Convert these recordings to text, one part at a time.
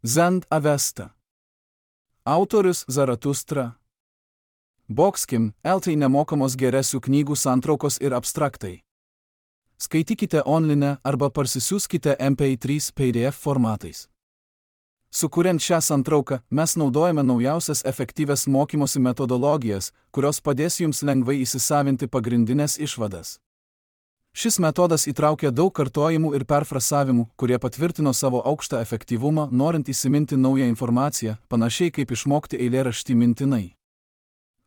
Zend Avesta. Autorius Zaratustra. Boxkim, LT nemokamos geresių knygų santraukos ir abstraktai. Skaitykite online arba parsisiųskite MP3 PDF formatais. Sukuriant šią santrauką, mes naudojame naujausias efektyvias mokymosi metodologijas, kurios padės jums lengvai įsisavinti pagrindinės išvadas. Šis metodas įtraukia daug kartojimų ir perfrasavimų, kurie patvirtino savo aukštą efektyvumą, norint įsiminti naują informaciją, panašiai kaip išmokti eilėraštį mintinai.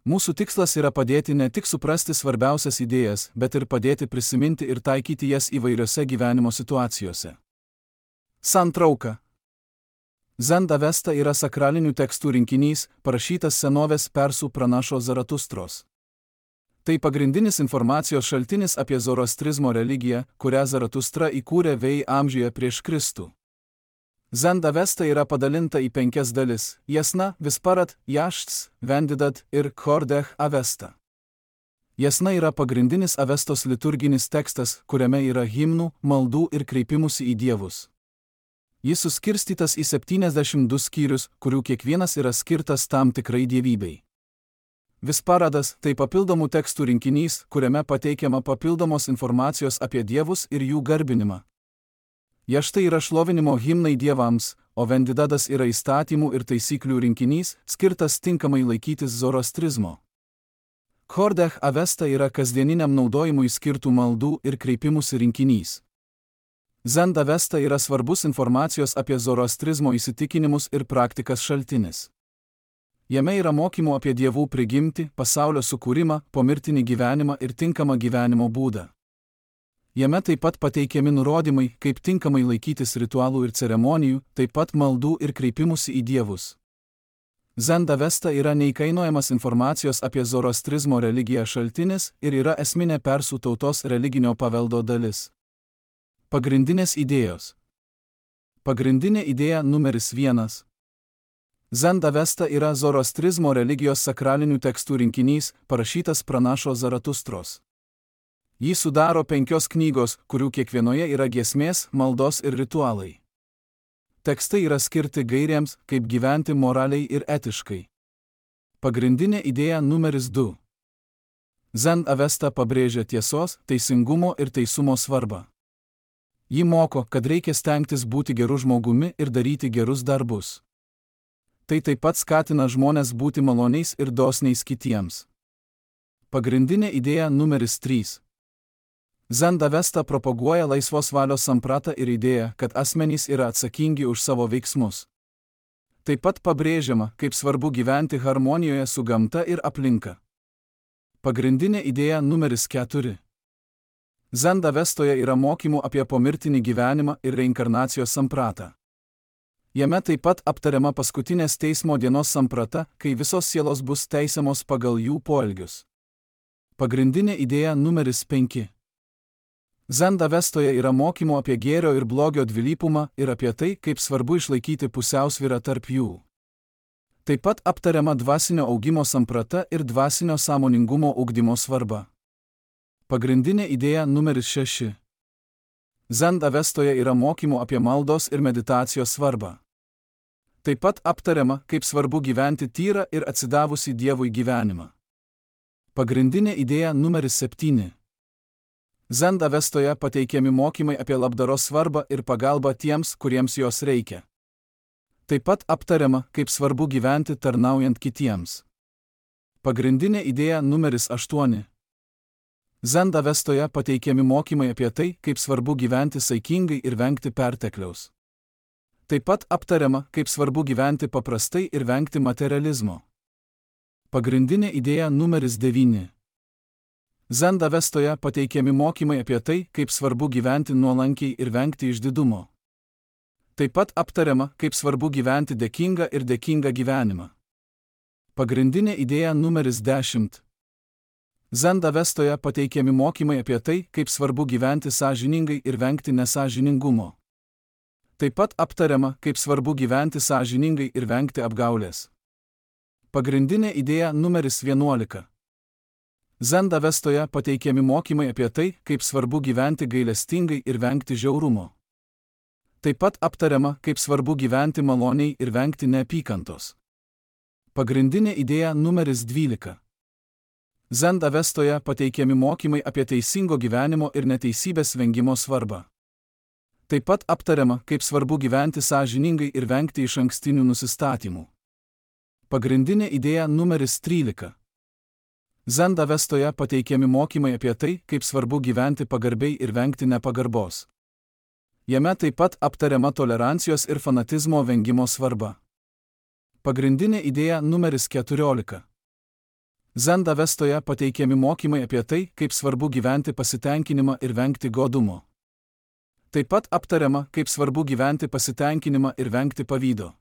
Mūsų tikslas yra padėti ne tik suprasti svarbiausias idėjas, bet ir padėti prisiminti ir taikyti jas įvairiose gyvenimo situacijose. Santrauka. Zend Avesta yra sakralinių tekstų rinkinys, parašytas senovės persų pranašo Zaratustros. Tai pagrindinis informacijos šaltinis apie zoroastrizmo religiją, kurią Zaratustra įkūrė VI amžiuje prieš Kristų. Zend Avesta yra padalinta į 5 dalis – Jasna, Visparat, Jašts, Vendidat ir Khordeh Avesta. Jasna yra pagrindinis Avestos liturginis tekstas, kuriame yra himnų, maldų ir kreipimusi į dievus. Jis suskirstytas į 72 skyrius, kurių kiekvienas yra skirtas tam tikrai dievybei. Visparadas – tai papildomų tekstų rinkinys, kuriame pateikiama papildomos informacijos apie dievus ir jų garbinimą. Jaštai yra šlovinimo himnai dievams, o Vendidadas yra įstatymų ir taisyklių rinkinys, skirtas tinkamai laikytis zoroastrizmo. Khordeh Avesta yra kasdieniniam naudojimui skirtų maldų ir kreipimusi rinkinys. Zend Avesta yra svarbus informacijos apie zoroastrizmo įsitikinimus ir praktikas šaltinis. Jame yra mokymų apie dievų prigimtį, pasaulio sukūrimą, pomirtinį gyvenimą ir tinkamą gyvenimo būdą. Jame taip pat pateikiami nurodymai, kaip tinkamai laikytis ritualų ir ceremonijų, taip pat maldų ir kreipimusi į dievus. Zend Avesta yra neįkainojamas informacijos apie zoroastrizmo religiją šaltinis ir yra esminė persų tautos religinio paveldo dalis. Pagrindinės idėjos. Pagrindinė idėja numeris 1. Zend Avesta yra zoroastrizmo religijos sakralinių tekstų rinkinys, parašytas pranašo Zaratustros. Jį sudaro 5 knygos, kurių kiekvienoje yra giesmės, maldos ir ritualai. Tekstai yra skirti gairėms, kaip gyventi moraliai ir etiškai. Pagrindinė idėja numeris 2. Zend Avesta pabrėžia tiesos, teisingumo ir teisumo svarbą. Ji moko, kad reikia stengtis būti geru žmogumi ir daryti gerus darbus. Tai taip pat skatina žmones būti maloniais ir dosniais kitiems. Pagrindinė idėja numeris 3. Zend Avesta propaguoja laisvos valios sampratą ir idėją, kad asmenys yra atsakingi už savo veiksmus. Taip pat pabrėžiama, kaip svarbu gyventi harmonijoje su gamta ir aplinka. Pagrindinė idėja numeris 4. Zend Avestoje yra mokymų apie pomirtinį gyvenimą ir reinkarnacijos sampratą. Jame taip pat aptariama paskutinės teismo dienos samprata, kai visos sielos bus teisiamos pagal jų poelgius. Pagrindinė idėja numeris 5. Zend Avestoje yra mokymų apie gėrio ir blogio dvilypumą ir apie tai, kaip svarbu išlaikyti pusiausvyrą tarp jų. Taip pat aptariama dvasinio augimo samprata ir dvasinio sąmoningumo ugdymo svarba. Pagrindinė idėja numeris 6. Zend Avestoje yra mokymų apie maldos ir meditacijos svarbą. Taip pat aptariama, kaip svarbu gyventi tyrą ir atsidavusi Dievui gyvenimą. Pagrindinė idėja numeris 7. Zend Avestoje pateikiami mokymai apie labdaros svarbą ir pagalbą tiems, kuriems jos reikia. Taip pat aptariama, kaip svarbu gyventi tarnaujant kitiems. Pagrindinė idėja numeris 8. Zend Avestoje pateikiami mokymai apie tai, kaip svarbu gyventi saikingai ir vengti pertekliaus. Taip pat aptariama, kaip svarbu gyventi paprastai ir vengti materializmo. Pagrindinė idėja numeris 9. Zend Avestoje pateikiami mokymai apie tai, kaip svarbu gyventi nuolankiai ir vengti išdidumo. Taip pat aptariama, kaip svarbu gyventi dėkingą ir dėkingą gyvenimą. Pagrindinė idėja numeris 10. Zend Avestoje pateikiami mokymai apie tai, kaip svarbu gyventi sąžiningai ir vengti nesąžiningumo. Taip pat aptariama, kaip svarbu gyventi sąžiningai ir vengti apgaulės. Pagrindinė idėja numeris 11. Zend Avestoje pateikiami mokymai apie tai, kaip svarbu gyventi gailestingai ir vengti žiaurumo. Taip pat aptariama, kaip svarbu gyventi maloniai ir vengti neapykantos. Pagrindinė idėja numeris 12. Zen Avestoje pateikiami mokymai apie teisingo gyvenimo ir neteisybės vengimo svarbą. Taip pat aptariama, kaip svarbu gyventi sąžiningai ir vengti išankstinių nusistatymų. Pagrindinė idėja numeris 13. Zen Avestoje pateikiami mokymai apie tai, kaip svarbu gyventi pagarbiai ir vengti nepagarbos. Jame taip pat aptariama tolerancijos ir fanatizmo vengimo svarba. Pagrindinė idėja numeris 14. Zen Avestoje pateikiami mokymai apie tai, kaip svarbu gyventi pasitenkinimą ir vengti godumo. Taip pat aptariama, kaip svarbu gyventi pasitenkinimą ir vengti pavydo.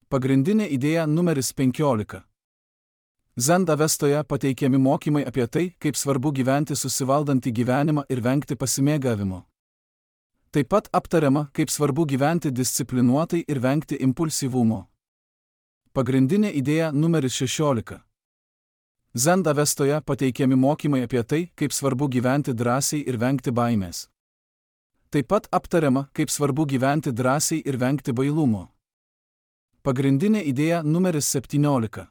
Pagrindinė idėja numeris 15. Zen Avestoje pateikiami mokymai apie tai, kaip svarbu gyventi susivaldantį gyvenimą ir vengti pasimėgavimo. Taip pat aptariama, kaip svarbu gyventi disciplinuotai ir vengti impulsyvumo. Pagrindinė idėja numeris 16. Zen Avestoje pateikiami mokymai apie tai, kaip svarbu gyventi drąsiai ir vengti baimės. Taip pat aptariama, kaip svarbu gyventi drąsiai ir vengti bailumo. Pagrindinė idėja numeris 17.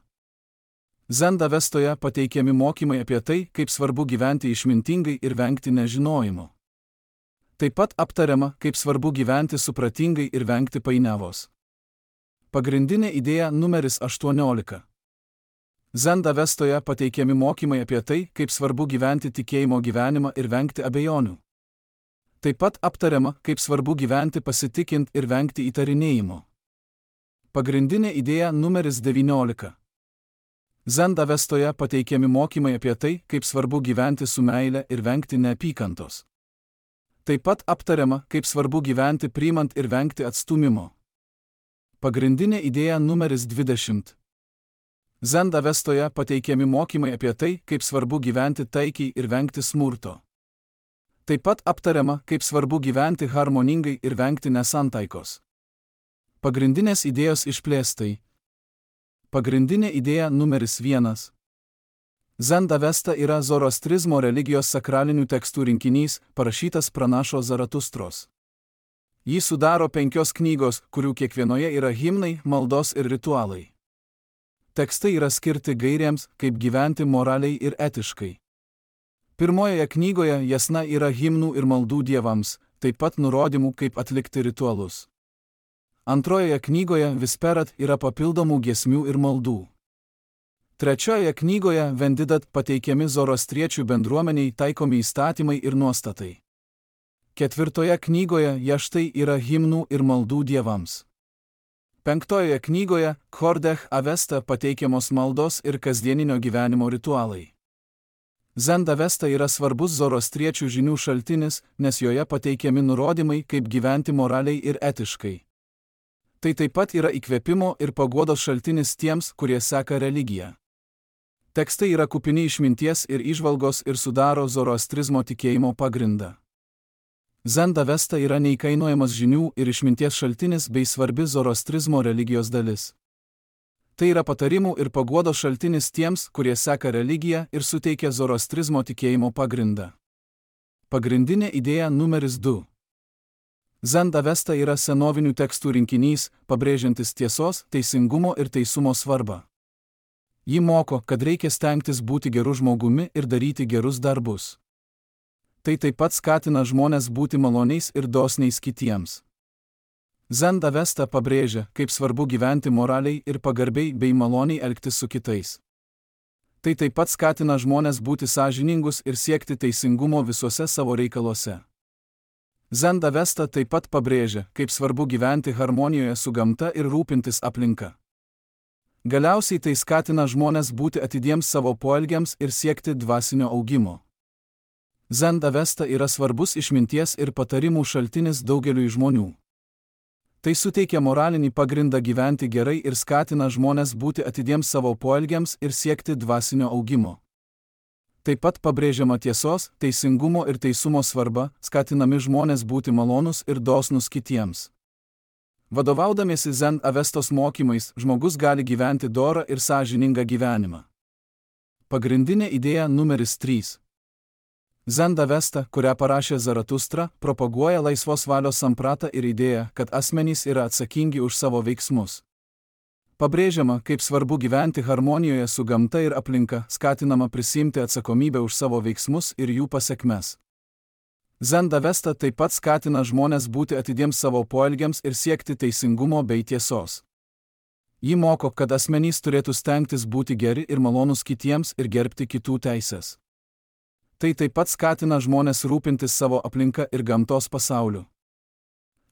Zen Avestoje pateikiami mokymai apie tai, kaip svarbu gyventi išmintingai ir vengti nežinojimo. Taip pat aptariama, kaip svarbu gyventi supratingai ir vengti painiavos. Pagrindinė idėja numeris 18. Zen Avestoje pateikiami mokymai apie tai, kaip svarbu gyventi tikėjimo gyvenimą ir vengti abejonių. Taip pat aptariama, kaip svarbu gyventi pasitikint ir vengti įtarinėjimo. Pagrindinė idėja numeris 19. Zen Avestoje pateikiami mokymai apie tai, kaip svarbu gyventi su meile ir vengti neapykantos. Taip pat aptariama, kaip svarbu gyventi priimant ir vengti atstūmimo. Pagrindinė idėja numeris 20. Zen Avestoje pateikiami mokymai apie tai, kaip svarbu gyventi taikiai ir vengti smurto. Taip pat aptariama, kaip svarbu gyventi harmoningai ir vengti nesantaikos. Pagrindinės idėjos išplėstai. Pagrindinė idėja numeris 1. Zen Avesta yra zoroastrizmo religijos sakralinių tekstų rinkinys, parašytas pranašo Zaratustros. Jį sudaro 5 knygos, kurių kiekvienoje yra himnai, maldos ir ritualai. Tekstai yra skirti gairėms, kaip gyventi moraliai ir etiškai. Pirmojoje knygoje jasna yra himnų ir maldų dievams, taip pat nurodymų, kaip atlikti ritualus. Antrojoje knygoje Visperat yra papildomų giesmių ir maldų. Trečiojoje knygoje Vendidat pateikiami zoroastriečių bendruomeniai taikomi įstatymai ir nuostatai. Ketvirtoje knygoje Jaštai yra himnų ir maldų dievams. Penktojoje knygoje Khordeh Avesta pateikiamos maldos ir kasdieninio gyvenimo ritualai. Zen Avesta yra svarbus zoroastriečių žinių šaltinis, nes joje pateikiami nurodymai, kaip gyventi moraliai ir etiškai. Tai taip pat yra įkvėpimo ir paguodos šaltinis tiems, kurie seka religiją. Tekstai yra kupini išminties ir įžvalgos ir sudaro zoroastrizmo tikėjimo pagrindą. Zen Avesta yra neįkainojamas žinių ir išminties šaltinis bei svarbi zoroastrizmo religijos dalis. Tai yra patarimų ir paguodos šaltinis tiems, kurie seka religiją ir suteikia zoroastrizmo tikėjimo pagrindą. Pagrindinė idėja numeris 2. Zen Avesta yra senovinių tekstų rinkinys, pabrėžiantis tiesos, teisingumo ir teisumo svarbą. Ji moko, kad reikia stengtis būti geru žmogumi ir daryti gerus darbus. Tai taip pat skatina žmones būti maloniais ir dosniais kitiems. Zen Avesta pabrėžia, kaip svarbu gyventi moraliai ir pagarbiai bei maloniai elgtis su kitais. Tai taip pat skatina žmones būti sąžiningus ir siekti teisingumo visuose savo reikaluose. Zen Avesta taip pat pabrėžia, kaip svarbu gyventi harmonijoje su gamta ir rūpintis aplinka. Galiausiai tai skatina žmones būti atidiems savo poelgiams ir siekti dvasinio augimo. Zen Avesta yra svarbus išminties ir patarimų šaltinis daugeliui žmonių. Tai suteikia moralinį pagrindą gyventi gerai ir skatina žmones būti atidiems savo poelgiams ir siekti dvasinio augimo. Taip pat pabrėžiama tiesos, teisingumo ir teisumo svarba, skatinami žmonės būti malonus ir dosnus kitiems. Vadovaudamiesi Zen Avestos mokymais, žmogus gali gyventi dorą ir sąžiningą gyvenimą. Pagrindinė idėja numeris 3. Zen Avesta, kurią parašė Zaratustra, propaguoja laisvos valios sampratą ir idėją, kad asmenys yra atsakingi už savo veiksmus. Pabrėžiama, kaip svarbu gyventi harmonijoje su gamta ir aplinka, skatinama prisiimti atsakomybę už savo veiksmus ir jų pasekmes. Zen Avesta taip pat skatina žmones būti atidiems savo poelgiams ir siekti teisingumo bei tiesos. Ji moko, kad asmenys turėtų stengtis būti geri ir malonūs kitiems ir gerbti kitų teises. Tai taip pat skatina žmones rūpintis savo aplinka ir gamtos pasauliu.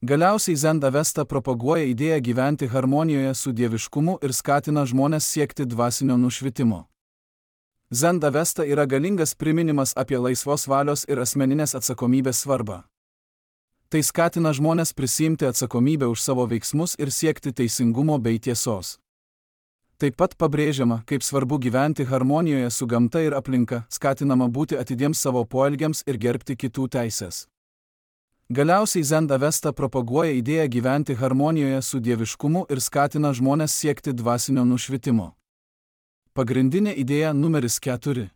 Galiausiai Zen Avesta propaguoja idėją gyventi harmonijoje su dieviškumu ir skatina žmones siekti dvasinio nušvitimo. Zen Avesta yra galingas priminimas apie laisvos valios ir asmeninės atsakomybės svarbą. Tai skatina žmones prisiimti atsakomybę už savo veiksmus ir siekti teisingumo bei tiesos. Taip pat pabrėžiama, kaip svarbu gyventi harmonijoje su gamta ir aplinka, skatinama būti atidiems savo poelgiams ir gerbti kitų teises. Galiausiai Zen Avesta propaguoja idėją gyventi harmonijoje su dieviškumu ir skatina žmones siekti dvasinio nušvitimo. Pagrindinė idėja numeris 4.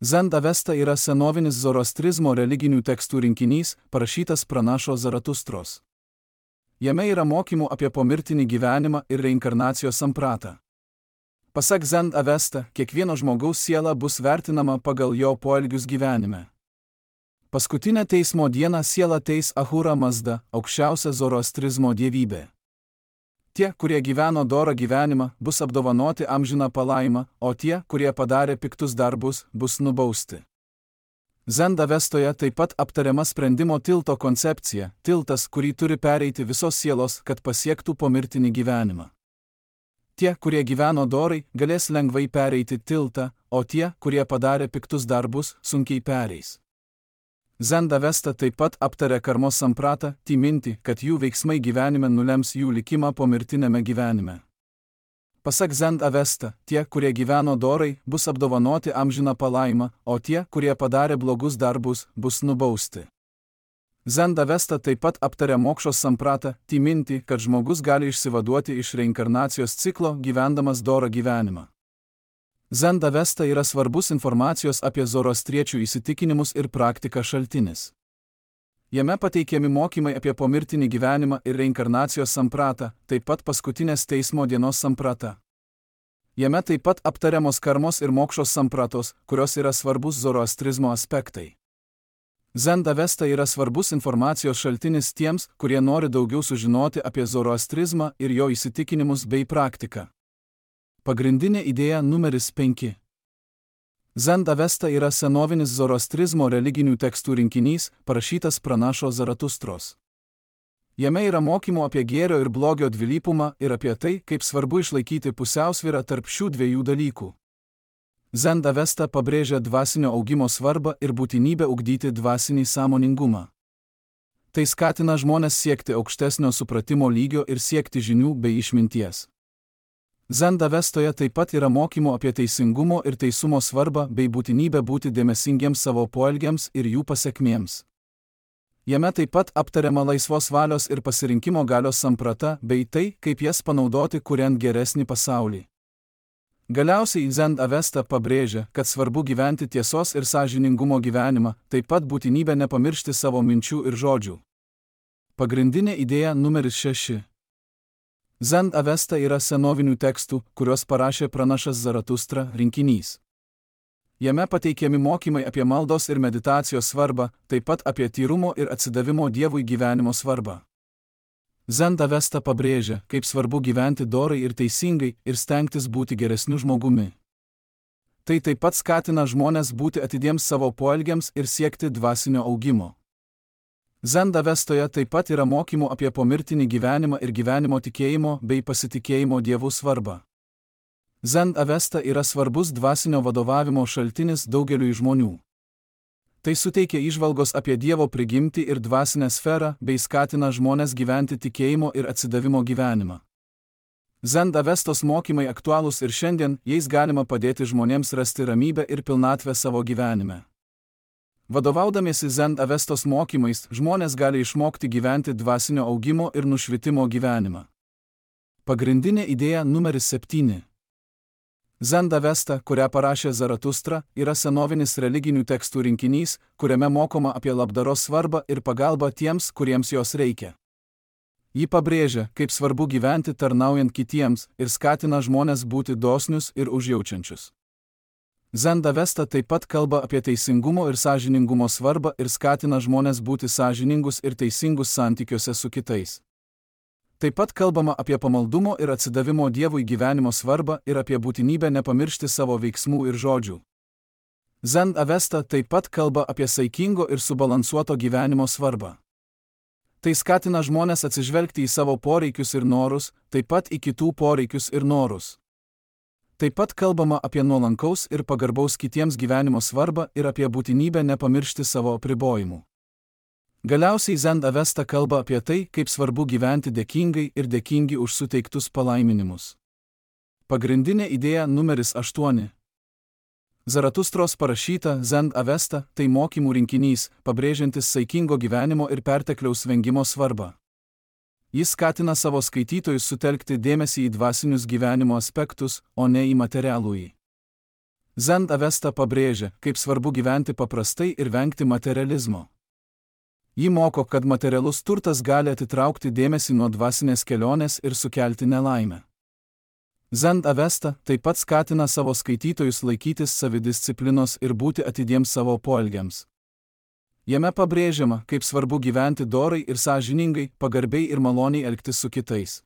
Zen Avesta yra senovinis zoroastrizmo religinių tekstų rinkinys, parašytas pranašo Zaratustros. Jame yra mokymų apie pomirtinį gyvenimą ir reinkarnacijos sampratą. Pasak Zen Avesta, kiekvieno žmogaus siela bus vertinama pagal jo poelgius gyvenime. Paskutinę teismo dieną sielą teis Ahura Mazda, aukščiausia zoroastrizmo dievybė. Tie, kurie gyveno dorą gyvenimą, bus apdovanoti amžiną palaimą, o tie, kurie padarė piktus darbus, bus nubausti. Zen Avestoje taip pat aptariama sprendimo tilto koncepcija, tiltas, kurį turi pereiti visos sielos, kad pasiektų pomirtinį gyvenimą. Tie, kurie gyveno dorai, galės lengvai pereiti tiltą, o tie, kurie padarė piktus darbus, sunkiai pereis. Zen Avesta taip pat aptarė karmos sampratą, timinti, kad jų veiksmai gyvenime nulems jų likimą pomirtinėme gyvenime. Pasak Zen Avesta, tie, kurie gyveno dorai, bus apdovanoti amžiną palaimą, o tie, kurie padarė blogus darbus, bus nubausti. Zen Avesta taip pat aptarė mokšos sampratą, timinti, kad žmogus gali išsivaduoti iš reinkarnacijos ciklo, gyvendamas dorą gyvenimą. Zen Avesta yra svarbus informacijos apie zoroastriečių įsitikinimus ir praktiką šaltinis. Jame pateikiami mokymai apie pomirtinį gyvenimą ir reinkarnacijos sampratą, taip pat paskutinės teismo dienos samprata. Jame taip pat aptariamos karmos ir mokšos sampratos, kurios yra svarbus zoroastrizmo aspektai. Zen Avesta yra svarbus informacijos šaltinis tiems, kurie nori daugiau sužinoti apie zoroastrizmą ir jo įsitikinimus bei praktiką. Pagrindinė idėja numeris 5. Zen Avesta yra senovinis zoroastrizmo religinių tekstų rinkinys, parašytas pranašo Zaratustros. Jame yra mokymų apie gėrio ir blogio dvilypumą ir apie tai, kaip svarbu išlaikyti pusiausvyrą tarp šių dviejų dalykų. Zen Avesta pabrėžia dvasinio augimo svarbą ir būtinybę ugdyti dvasinį sąmoningumą. Tai skatina žmones siekti aukštesnio supratimo lygio ir siekti žinių bei išminties. Zen Avestoje taip pat yra mokymų apie teisingumo ir teisumo svarbą bei būtinybę būti dėmesingiems savo poelgiams ir jų pasekmėms. Jame taip pat aptariama laisvos valios ir pasirinkimo galios samprata bei tai, kaip jas panaudoti kuriant geresnį pasaulį. Galiausiai Zen Avesta pabrėžia, kad svarbu gyventi tiesos ir sąžiningumo gyvenimą, taip pat būtinybę nepamiršti savo minčių ir žodžių. Pagrindinė idėja numeris 6. Zen Avesta yra senovinių tekstų, kuriuos parašė pranašas Zaratustra, rinkinys. Jame pateikiami mokymai apie maldos ir meditacijos svarbą, taip pat apie tyrumo ir atsidavimo Dievui gyvenimo svarbą. Zen Avesta pabrėžia, kaip svarbu gyventi dorai ir teisingai ir stengtis būti geresniu žmogumi. Tai taip pat skatina žmones būti atidiems savo poelgiams ir siekti dvasinio augimo. Zen Avestoje taip pat yra mokymų apie pomirtinį gyvenimą ir gyvenimo tikėjimo bei pasitikėjimo Dievu svarbą. Zen Avesta yra svarbus dvasinio vadovavimo šaltinis daugeliui žmonių. Tai suteikia įžvalgos apie Dievo prigimtį ir dvasinę sferą bei skatina žmones gyventi tikėjimo ir atsidavimo gyvenimą. Zen Avestos mokymai aktualūs ir šiandien, jais galima padėti žmonėms rasti ramybę ir pilnatvę savo gyvenime. Vadovaudamiesi Zen Avestos mokymais, žmonės gali išmokti gyventi dvasinio augimo ir nušvitimo gyvenimą. Pagrindinė idėja numeris 7. Zend Avesta, kurią parašė Zaratustra, yra senovinis religinių tekstų rinkinys, kuriame mokoma apie labdaros svarbą ir pagalbą tiems, kuriems jos reikia. Ji pabrėžia, kaip svarbu gyventi tarnaujant kitiems ir skatina žmones būti dosnius ir užjaučiančius. Zend Avesta taip pat kalba apie teisingumo ir sąžiningumo svarbą ir skatina žmones būti sąžiningus ir teisingus santykiuose su kitais. Taip pat kalbama apie pamaldumo ir atsidavimo Dievui gyvenimo svarbą ir apie būtinybę nepamiršti savo veiksmų ir žodžių. Zend Avesta taip pat kalba apie saikingo ir subalansuoto gyvenimo svarbą. Tai skatina žmones atsižvelgti į savo poreikius ir norus, taip pat į kitų poreikius ir norus. Taip pat kalbama apie nuolankaus ir pagarbaus kitiems gyvenimo svarbą ir apie būtinybę nepamiršti savo apribojimų. Galiausiai Zend Avesta kalba apie tai, kaip svarbu gyventi dėkingai ir dėkingi už suteiktus palaiminimus. Pagrindinė idėja numeris 8. Zaratustros parašyta Zend Avesta tai mokymų rinkinys, pabrėžiantis saikingo gyvenimo ir pertekliaus vengimo svarbą. Jis skatina savo skaitytojus sutelkti dėmesį į dvasinius gyvenimo aspektus, o ne į materialųjį. Zend Avesta pabrėžia, kaip svarbu gyventi paprastai ir vengti materializmo. Ji moko, kad materialus turtas gali atitraukti dėmesį nuo dvasinės kelionės ir sukelti nelaimę. Zend Avesta taip pat skatina savo skaitytojus laikytis savidisciplinos ir būti atidiems savo poelgiams. Jame pabrėžiama, kaip svarbu gyventi dorai ir sąžiningai, pagarbiai ir maloniai elgtis su kitais.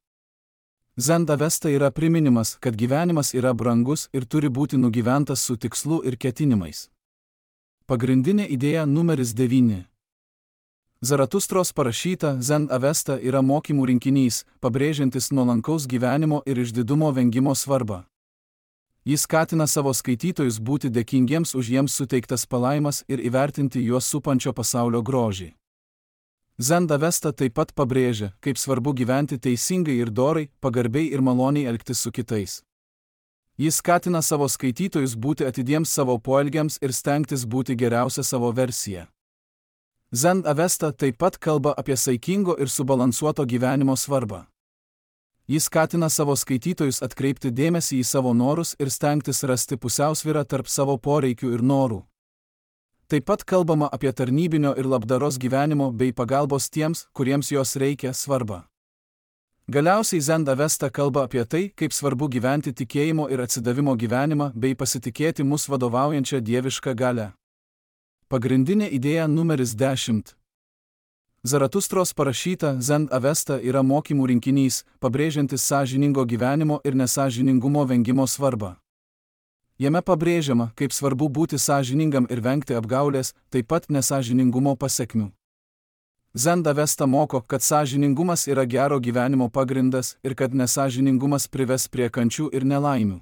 Zend Avesta yra priminimas, kad gyvenimas yra brangus ir turi būti nugyventas su tikslu ir ketinimais. Pagrindinė idėja numeris 9. Zaratustros parašyta Zend Avesta yra mokymų rinkinys, pabrėžiantis nuolankaus gyvenimo ir išdidumo vengimo svarbą. Jis skatina savo skaitytojus būti dėkingiems už jiems suteiktas palaimas ir įvertinti juos supančio pasaulio grožį. Zend Avesta taip pat pabrėžia, kaip svarbu gyventi teisingai ir dorai, pagarbiai ir maloniai elgtis su kitais. Jis skatina savo skaitytojus būti atidiems savo poelgiams ir stengtis būti geriausia savo versija. Zend Avesta taip pat kalba apie saikingo ir subalansuoto gyvenimo svarbą. Jis skatina savo skaitytojus atkreipti dėmesį į savo norus ir stengtis rasti pusiausvyrą tarp savo poreikių ir norų. Taip pat kalbama apie tarnybinio ir labdaros gyvenimo bei pagalbos tiems, kuriems jos reikia svarbą. Galiausiai Zend Avesta kalba apie tai, kaip svarbu gyventi tikėjimo ir atsidavimo gyvenimą bei pasitikėti mus vadovaujančią dievišką galią. Pagrindinė idėja numeris 10. Zaratustros parašyta Zend Avesta yra mokymų rinkinys, pabrėžiantis sąžiningo gyvenimo ir nesąžiningumo vengimo svarbą. Jame pabrėžiama, kaip svarbu būti sąžiningam ir vengti apgaulės, taip pat nesąžiningumo pasekmių. Zend Avesta moko, kad sąžiningumas yra gero gyvenimo pagrindas ir kad nesąžiningumas prives prie kančių ir nelaimių.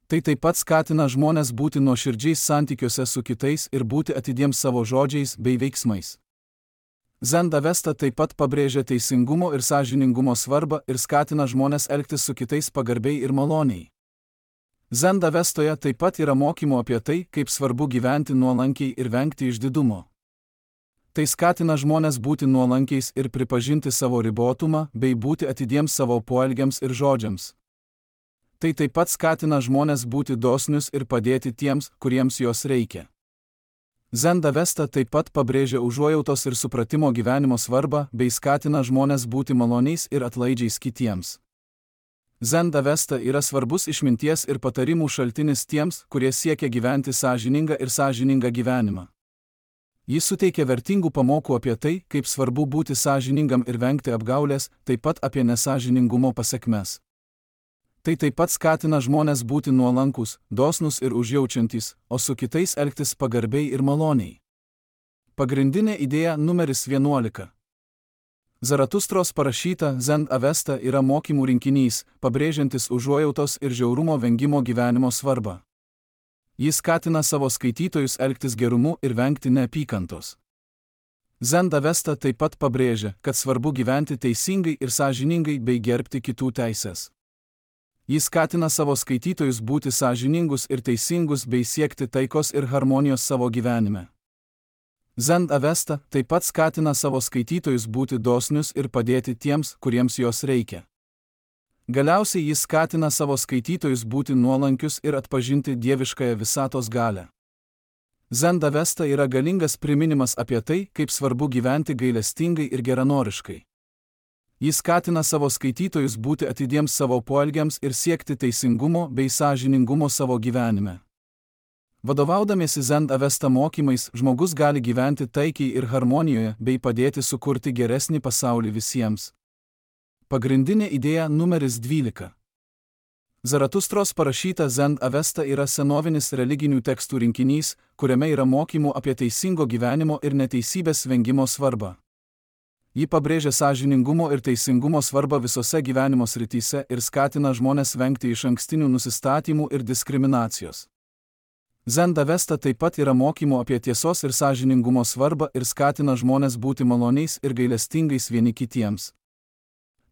Tai taip pat skatina žmones būti nuoširdžiais santykiuose su kitais ir būti atidiems savo žodžiais bei veiksmais. Zend Avesta taip pat pabrėžia teisingumo ir sąžiningumo svarbą ir skatina žmones elgtis su kitais pagarbiai ir maloniai. Zend Avestoje taip pat yra mokymo apie tai, kaip svarbu gyventi nuolankiai ir vengti išdidumo. Tai skatina žmones būti nuolankiais ir pripažinti savo ribotumą bei būti atidiems savo poelgiams ir žodžiams. Tai taip pat skatina žmones būti dosnius ir padėti tiems, kuriems jos reikia. Zend Avesta taip pat pabrėžia užuojautos ir supratimo gyvenimo svarbą bei skatina žmones būti maloniais ir atlaidžiais kitiems. Zend Avesta yra svarbus išminties ir patarimų šaltinis tiems, kurie siekia gyventi sąžiningą ir sąžiningą gyvenimą. Jis suteikia vertingų pamokų apie tai, kaip svarbu būti sąžiningam ir vengti apgaulės, taip pat apie nesąžiningumo pasekmes. Tai taip pat skatina žmones būti nuolankus, dosnus ir užjaučiantys, o su kitais elgtis pagarbiai ir maloniai. Pagrindinė idėja numeris 11. Zaratustros parašyta Zend Avesta yra mokymų rinkinys, pabrėžiantis užuojautos ir žiaurumo vengimo gyvenimo svarbą. Jis skatina savo skaitytojus elgtis gerumu ir vengti neapykantos. Zend Avesta taip pat pabrėžia, kad svarbu gyventi teisingai ir sąžiningai bei gerbti kitų teises. Jis skatina savo skaitytojus būti sąžiningus ir teisingus bei siekti taikos ir harmonijos savo gyvenime. Zend Avesta taip pat skatina savo skaitytojus būti dosnius ir padėti tiems, kuriems jos reikia. Galiausiai jis skatina savo skaitytojus būti nuolankius ir atpažinti dieviškąją visatos galią. Zen Avesta yra galingas priminimas apie tai, kaip svarbu gyventi gailestingai ir geranoriškai. Jis skatina savo skaitytojus būti atidiems savo poelgiams ir siekti teisingumo bei sąžiningumo savo gyvenime. Vadovaudamiesi Zen Avesta mokymais, žmogus gali gyventi taikiai ir harmonijoje bei padėti sukurti geresnį pasaulį visiems. Pagrindinė idėja numeris 12. Zaratustros parašyta Zen Avesta yra senovinis religinių tekstų rinkinys, kuriame yra mokymų apie teisingo gyvenimo ir neteisybės vengimo svarbą. Ji pabrėžia sąžiningumo ir teisingumo svarbą visose gyvenimo srityse ir skatina žmones vengti išankstinių nusistatymų ir diskriminacijos. Zen Avesta taip pat yra mokymų apie tiesos ir sąžiningumo svarbą ir skatina žmones būti maloniais ir gailestingais vieni kitiems.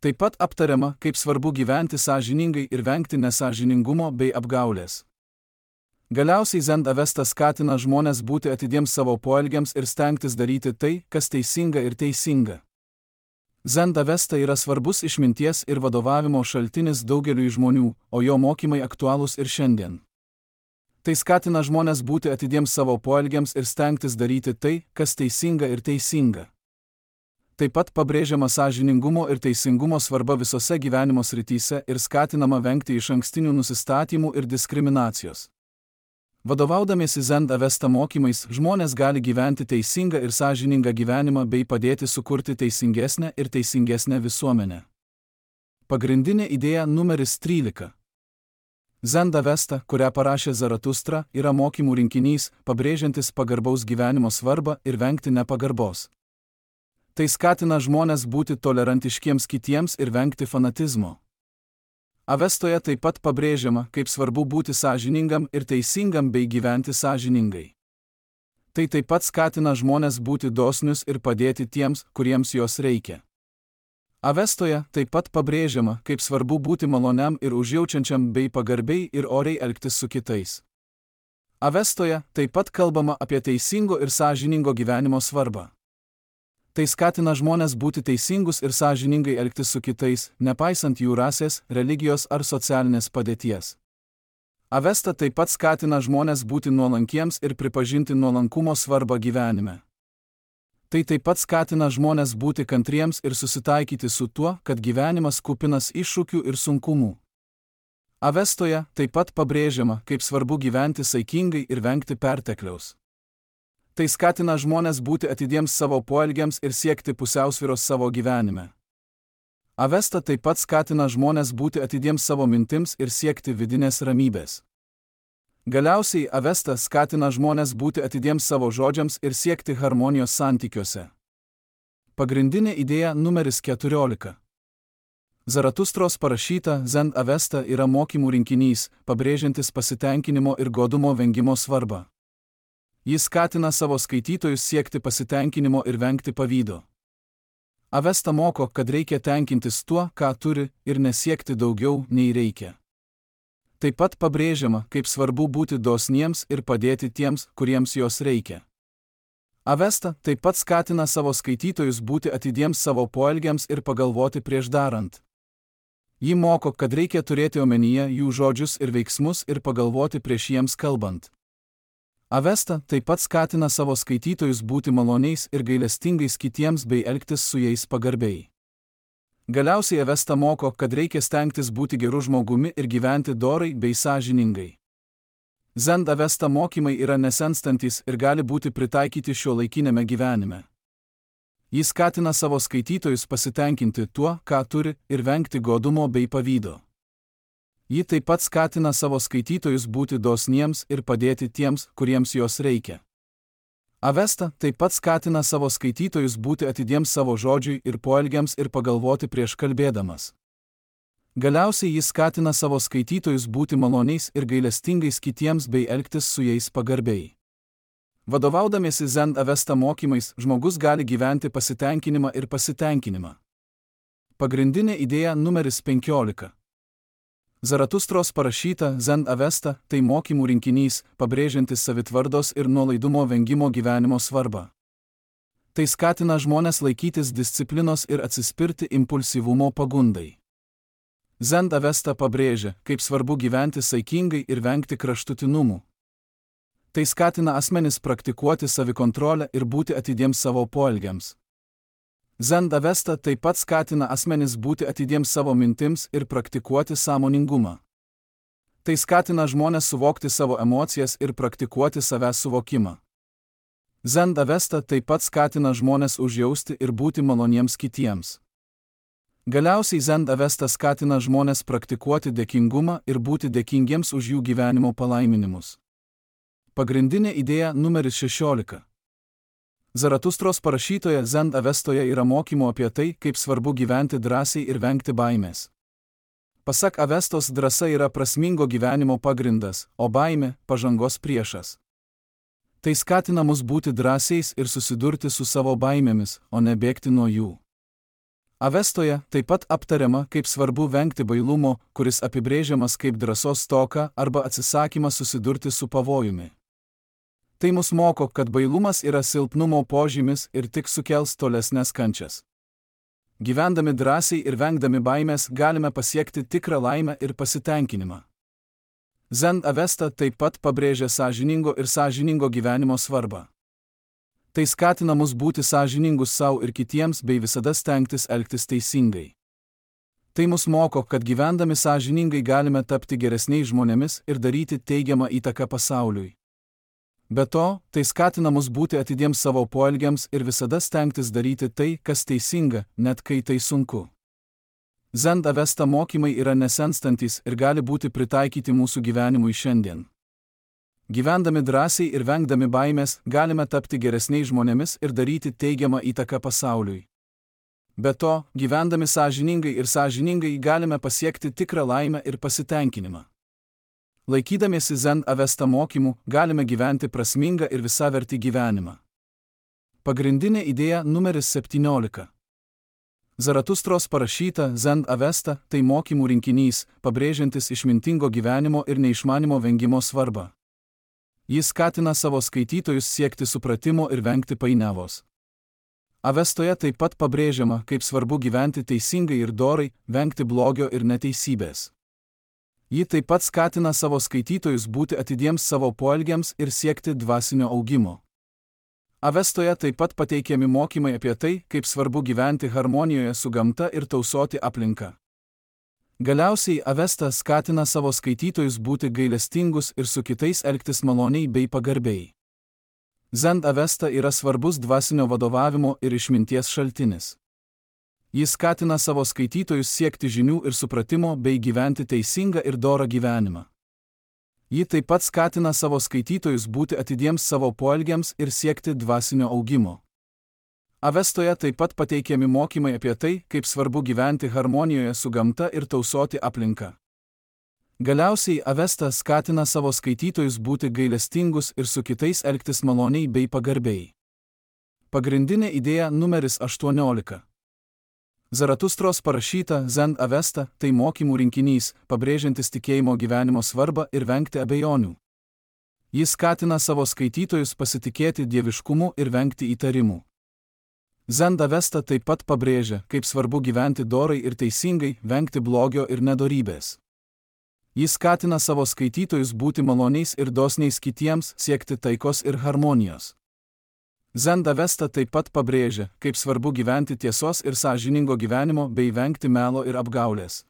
Taip pat aptariama, kaip svarbu gyventi sąžiningai ir vengti nesąžiningumo bei apgaulės. Galiausiai Zen Avesta skatina žmones būti atidiems savo poelgiams ir stengtis daryti tai, kas teisinga ir teisinga. Zen Avesta yra svarbus išminties ir vadovavimo šaltinis daugeliui žmonių, o jo mokymai aktualūs ir šiandien. Tai skatina žmones būti atidiems savo poelgiams ir stengtis daryti tai, kas teisinga ir teisinga. Taip pat pabrėžiama sąžiningumo ir teisingumo svarba visose gyvenimo srityse ir skatinama vengti išankstinių nusistatymų ir diskriminacijos. Vadovaudamiesi Zen Avesta mokymais, žmonės gali gyventi teisingą ir sąžiningą gyvenimą bei padėti sukurti teisingesnę ir teisingesnę visuomenę. Pagrindinė idėja numeris 13. Zen Avesta, kurią parašė Zaratustra, yra mokymų rinkinys, pabrėžiantis pagarbaus gyvenimo svarbą ir vengti nepagarbos. Tai skatina žmones būti tolerantiškiems kitiems ir vengti fanatizmo. Avestoje taip pat pabrėžiama, kaip svarbu būti sąžiningam ir teisingam bei gyventi sąžiningai. Tai taip pat skatina žmones būti dosnius ir padėti tiems, kuriems jos reikia. Avestoje taip pat pabrėžiama, kaip svarbu būti maloniam ir užjaučiančiam bei pagarbiai ir oriai elgtis su kitais. Avestoje taip pat kalbama apie teisingo ir sąžiningo gyvenimo svarbą. Tai skatina žmones būti teisingus ir sąžiningai elgtis su kitais, nepaisant jų rasės, religijos ar socialinės padėties. Avesta taip pat skatina žmones būti nuolankiems ir pripažinti nuolankumo svarbą gyvenime. Tai taip pat skatina žmones būti kantriems ir susitaikyti su tuo, kad gyvenimas kupinas iššūkių ir sunkumų. Avestoje taip pat pabrėžiama, kaip svarbu gyventi saikingai ir vengti pertekliaus. Tai skatina žmones būti atidiems savo poelgiams ir siekti pusiausvyros savo gyvenime. Avesta taip pat skatina žmones būti atidiems savo mintims ir siekti vidinės ramybės. Galiausiai Avesta skatina žmones būti atidiems savo žodžiams ir siekti harmonijos santykiuose. Pagrindinė idėja numeris 14. Zaratustros parašyta Zen Avesta yra mokymų rinkinys, pabrėžiantis pasitenkinimo ir godumo vengimo svarbą. Jis skatina savo skaitytojus siekti pasitenkinimo ir vengti pavydo. Avesta moko, kad reikia tenkintis tuo, ką turi, ir nesiekti daugiau, nei reikia. Taip pat pabrėžiama, kaip svarbu būti dosniems ir padėti tiems, kuriems jos reikia. Avesta taip pat skatina savo skaitytojus būti atidiems savo poelgiams ir pagalvoti prieš darant. Ji moko, kad reikia turėti omenyje jų žodžius ir veiksmus ir pagalvoti prieš jiems kalbant. Avesta taip pat skatina savo skaitytojus būti maloniais ir gailestingais kitiems bei elgtis su jais pagarbiai. Galiausiai Avesta moko, kad reikia stengtis būti geru žmogumi ir gyventi dorai bei sąžiningai. Zen Avesta mokymai yra nesenstantis ir gali būti pritaikyti šiuolaikinėme gyvenime. Jis skatina savo skaitytojus pasitenkinti tuo, ką turi, ir vengti godumo bei pavydo. Ji taip pat skatina savo skaitytojus būti dosniems ir padėti tiems, kuriems jos reikia. Avesta taip pat skatina savo skaitytojus būti atidiems savo žodžiui ir poelgiams ir pagalvoti prieš kalbėdamas. Galiausiai jis skatina savo skaitytojus būti maloniais ir gailestingais kitiems bei elgtis su jais pagarbiai. Vadovaudamiesi Zen Avesta mokymais, žmogus gali gyventi pasitenkinimą ir pasitenkinimą. Pagrindinė idėja numeris 15. Zaratustros parašyta Zen Avesta tai mokymų rinkinys, pabrėžiantis savitvardos ir nuolaidumo vengimo gyvenimo svarbą. Tai skatina žmones laikytis disciplinos ir atsispirti impulsyvumo pagundai. Zen Avesta pabrėžia, kaip svarbu gyventi saikingai ir vengti kraštutinumų. Tai skatina asmenis praktikuoti savikontrolę ir būti atidiems savo poelgiams. Zen Avesta taip pat skatina asmenis būti atidiems savo mintims ir praktikuoti sąmoningumą. Tai skatina žmones suvokti savo emocijas ir praktikuoti savęs suvokimą. Zen Avesta taip pat skatina žmones užjausti ir būti maloniems kitiems. Galiausiai Zen Avesta skatina žmones praktikuoti dėkingumą ir būti dėkingiems už jų gyvenimo palaiminimus. Pagrindinė idėja numeris 16. Zaratustros parašytoje Zen Avestoje yra mokymo apie tai, kaip svarbu gyventi drąsiai ir vengti baimės. Pasak Avestos, drąsa yra prasmingo gyvenimo pagrindas, o baimė – pažangos priešas. Tai skatina mus būti drąsiais ir susidurti su savo baimėmis, o ne bėgti nuo jų. Avestoje taip pat aptariama, kaip svarbu vengti bailumo, kuris apibrėžiamas kaip drąsos stoka arba atsisakymas susidurti su pavojumi. Tai mus moko, kad bailumas yra silpnumo požymis ir tik sukels tolesnes kančias. Gyvendami drąsiai ir vengdami baimės galime pasiekti tikrą laimę ir pasitenkinimą. Zen Avesta taip pat pabrėžia sąžiningo gyvenimo svarbą. Tai skatina mus būti sąžiningus savo ir kitiems bei visada stengtis elgtis teisingai. Tai mus moko, kad gyvendami sąžiningai galime tapti geresniais žmonėmis ir daryti teigiamą įtaką pasauliui. Be to, tai skatina mus būti atidiems savo poelgiams ir visada stengtis daryti tai, kas teisinga, net kai tai sunku. Zen Avesta mokymai yra nesenstantys ir gali būti pritaikyti mūsų gyvenimui šiandien. Gyvendami drąsiai ir vengdami baimės, galime tapti geresniais žmonėmis ir daryti teigiamą įtaką pasauliui. Be to, gyvendami sąžiningai galime pasiekti tikrą laimę ir pasitenkinimą. Laikydamiesi Zen Avesta mokymų, galime gyventi prasmingą ir visavertį gyvenimą. Pagrindinė idėja numeris 17. Zaratustros parašyta Zen Avesta – tai mokymų rinkinys, pabrėžiantis išmintingo gyvenimo ir neišmanimo vengimo svarbą. Jis skatina savo skaitytojus siekti supratimo ir vengti painiavos. Avestoje taip pat pabrėžiama, kaip svarbu gyventi teisingai ir dorai, vengti blogio ir neteisybės. Ji taip pat skatina savo skaitytojus būti atidiems savo poelgiams ir siekti dvasinio augimo. Avestoje taip pat pateikiami mokymai apie tai, kaip svarbu gyventi harmonijoje su gamta ir tausoti aplinką. Galiausiai Avesta skatina savo skaitytojus būti gailestingus ir su kitais elgtis maloniai bei pagarbiai. Zen Avesta yra svarbus dvasinio vadovavimo ir išminties šaltinis. Jis skatina savo skaitytojus siekti žinių ir supratimo bei gyventi teisingą ir dorą gyvenimą. Ji taip pat skatina savo skaitytojus būti atidiems savo poelgiams ir siekti dvasinio augimo. Avestoje taip pat pateikiami mokymai apie tai, kaip svarbu gyventi harmonijoje su gamta ir tausoti aplinką. Galiausiai Avesta skatina savo skaitytojus būti gailestingus ir su kitais elgtis maloniai bei pagarbiai. Pagrindinė idėja numeris 18. Zaratustros parašyta Zen Avesta – tai mokymų rinkinys, pabrėžiantis tikėjimo gyvenimo svarbą ir vengti abejonių. Jis skatina savo skaitytojus pasitikėti dieviškumu ir vengti įtarimų. Zen Avesta taip pat pabrėžia, kaip svarbu gyventi dorai ir teisingai, vengti blogio ir nedorybės. Jis skatina savo skaitytojus būti maloniais ir dosniais kitiems, siekti taikos ir harmonijos. Zen Avesta taip pat pabrėžia, kaip svarbu gyventi tiesos ir sąžiningo gyvenimo bei vengti melo ir apgaulės.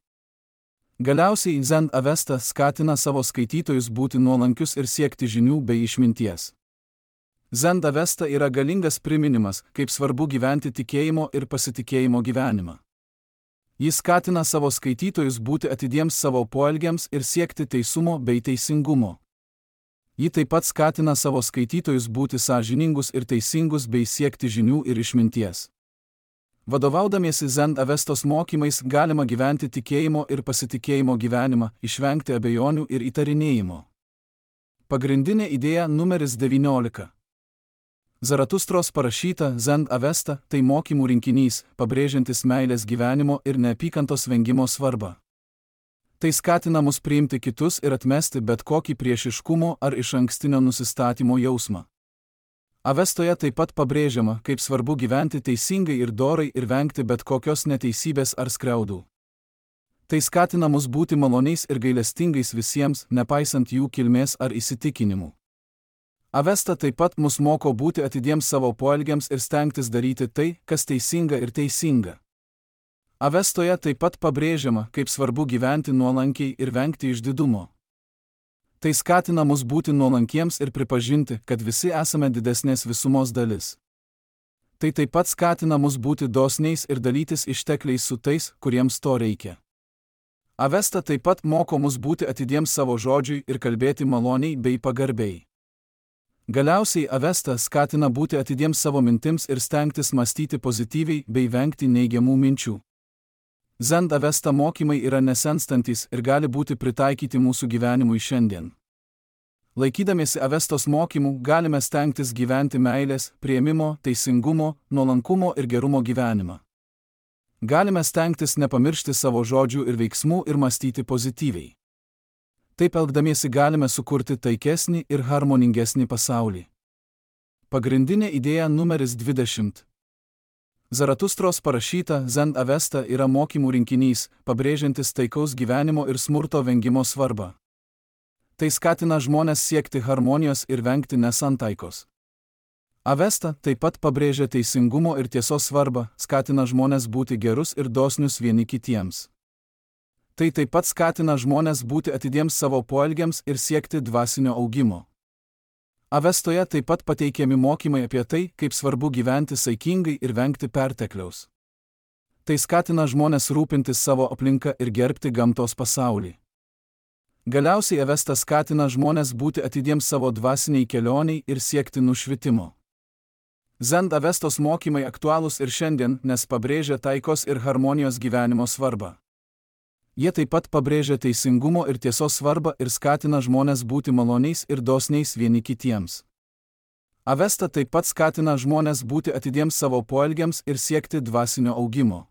Galiausiai Zen Avesta skatina savo skaitytojus būti nuolankius ir siekti žinių bei išminties. Zen Avesta yra galingas priminimas, kaip svarbu gyventi tikėjimo ir pasitikėjimo gyvenimą. Jis skatina savo skaitytojus būti atidiems savo poelgiams ir siekti teisumo bei teisingumo. Ji taip pat skatina savo skaitytojus būti sąžiningus ir teisingus bei siekti žinių ir išminties. Vadovaudamiesi Zen Avestos mokymais galima gyventi tikėjimo ir pasitikėjimo gyvenimą, išvengti abejonių ir įtarinėjimo. Pagrindinė idėja numeris 19. Zaratustros parašyta Zen Avesta – tai mokymų rinkinys, pabrėžiantis meilės gyvenimo ir neapykantos vengimo svarbą. Tai skatina mus priimti kitus ir atmesti bet kokį priešiškumo ar išankstinio nusistatymo jausmą. Avestoje taip pat pabrėžiama, kaip svarbu gyventi teisingai ir dorai ir vengti bet kokios neteisybės ar skriaudų. Tai skatina mus būti maloniais ir gailestingais visiems, nepaisant jų kilmės ar įsitikinimų. Avesta taip pat mus moko būti atidiems savo poelgiams ir stengtis daryti tai, kas teisinga ir teisinga. Avestoje taip pat pabrėžiama, kaip svarbu gyventi nuolankiai ir vengti išdidumo. Tai skatina mus būti nuolankiems ir pripažinti, kad visi esame didesnės visumos dalis. Tai taip pat skatina mus būti dosniais ir dalytis ištekliais su tais, kuriems to reikia. Avesta taip pat moko mus būti atidiems savo žodžiui ir kalbėti maloniai bei pagarbiai. Galiausiai Avesta skatina būti atidiems savo mintims ir stengtis mąstyti pozityviai bei vengti neigiamų minčių. Zen Avesta mokymai yra nesenstantis ir gali būti pritaikyti mūsų gyvenimui šiandien. Laikydamiesi Avestos mokymų galime stengtis gyventi meilės, priėmimo, teisingumo, nuolankumo ir gerumo gyvenimą. Galime stengtis nepamiršti savo žodžių ir veiksmų ir mąstyti pozityviai. Taip elgdamiesi galime sukurti taikesnį ir harmoningesnį pasaulį. Pagrindinė idėja numeris 20. Zaratustros parašyta Zen Avesta yra mokymų rinkinys, pabrėžiantis taikaus gyvenimo ir smurto vengimo svarbą. Tai skatina žmones siekti harmonijos ir vengti nesantaikos. Avesta taip pat pabrėžia teisingumo ir tiesos svarbą, skatina žmones būti gerus ir dosnius vieni kitiems. Tai taip pat skatina žmones būti atidiems savo poelgiams ir siekti dvasinio augimo. Avestoje taip pat pateikiami mokymai apie tai, kaip svarbu gyventi saikingai ir vengti pertekliaus. Tai skatina žmones rūpintis savo aplinka ir gerbti gamtos pasaulį. Galiausiai Avesta skatina žmones būti atidiems savo dvasiniai kelioniai ir siekti nušvitimo. Zen Avestos mokymai aktualūs ir šiandien, nes pabrėžia taikos ir harmonijos gyvenimo svarbą. Jie taip pat pabrėžia teisingumo ir tiesos svarbą ir skatina žmones būti maloniais ir dosniais vieni kitiems. Avesta taip pat skatina žmones būti atidiems savo poelgiams ir siekti dvasinio augimo.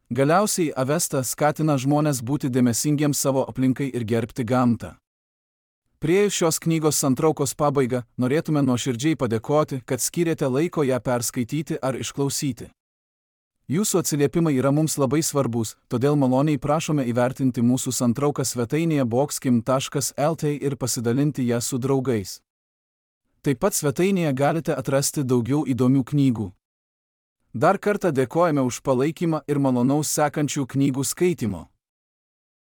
Galiausiai Avesta skatina žmones būti dėmesingiems savo aplinkai ir gerbti gamtą. Priėjus šios knygos santraukos pabaigą, norėtume nuoširdžiai padėkoti, kad skyrėte laiko ją perskaityti ar išklausyti. Jūsų atsiliepimai yra mums labai svarbus, todėl maloniai prašome įvertinti mūsų santrauką svetainėje boxkim.lt ir pasidalinti ją su draugais. Taip pat svetainėje galite atrasti daugiau įdomių knygų. Dar kartą dėkojame už palaikymą ir malonaus sekančių knygų skaitimo.